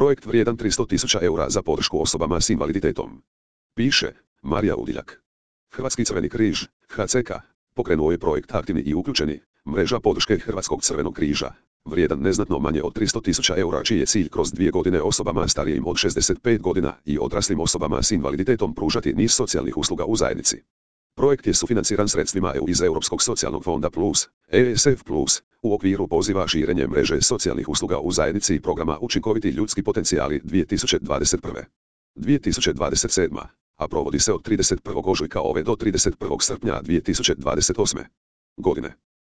Projekt vrijedan 300.000 eura za podršku osobama s invaliditetom. Piše Marija Udiljak. Hrvatski crveni križ, HCK, pokrenuo je projekt Aktivni i uključeni, mreža podrške Hrvatskog crvenog križa, vrijedan neznatno manje od 300.000 eura, čiji je cilj kroz 2 godine osobama starijim od 65 godina i odraslim osobama s invaliditetom pružati niz socijalnih usluga u zajednici. Projekt je sufinanciran sredstvima EU iz Europskog socijalnog fonda Plus, ESF Plus, u okviru poziva širenje mreže socijalnih usluga u zajednici i programa Učinkoviti ljudski potencijali 2021. 2027, a provodi se od 31. ožujka ove do 31. srpnja 2028. godine.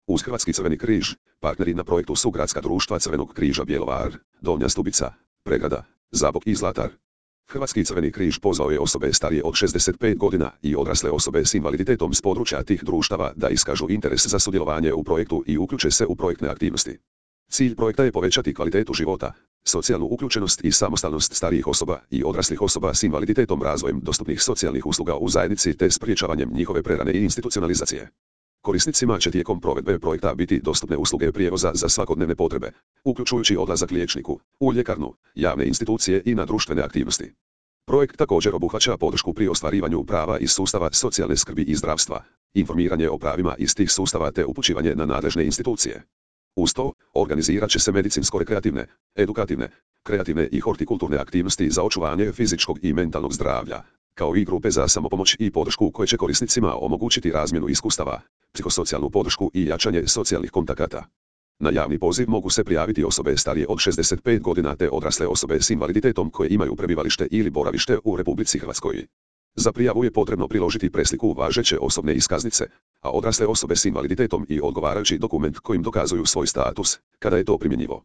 Uz Hrvatski crveni križ, partneri na projektu su Gradska društva Crvenog križa Bjelovar, Donja Stubica, Pregrada, Zabok i Zlatar. Hrvatski crveni križ pozvao je osobe starije od 65 godina i odrasle osobe s invaliditetom s područja tih društava da iskažu interes za sudjelovanje u projektu i uključe se u projektne aktivnosti. Cilj projekta je povećati kvalitetu života, socijalnu uključenost i samostalnost starijih osoba i odraslih osoba s invaliditetom razvojem dostupnih socijalnih usluga u zajednici te spriječavanjem njihove prerane i institucionalizacije. Korisnicima će tijekom provedbe projekta biti dostupne usluge prijevoza za svakodnevne potrebe, uključujući odlazak liječniku, u ljekarnu, javne institucije i na društvene aktivnosti. Projekt također obuhvaća podršku pri ostvarivanju prava iz sustava socijalne skrbi i zdravstva, informiranje o pravima iz tih sustava te upućivanje na nadležne institucije. Uz to, organizirat će se medicinsko-rekreativne, edukativne, kreativne i hortikulturne aktivnosti za očuvanje fizičkog i mentalnog zdravlja, kao i grupe za samopomoć i podršku koje će korisnicima omogućiti razmjenu iskustava, psihosocijalnu podršku i jačanje socijalnih kontakata. Na javni poziv mogu se prijaviti osobe starije od 65 godina te odrasle osobe s invaliditetom koje imaju prebivalište ili boravište u Republici Hrvatskoj. Za prijavu je potrebno priložiti presliku važeće osobne iskaznice, a odrasle osobe s invaliditetom i odgovarajući dokument kojim dokazuju svoj status, kada je to primjenjivo.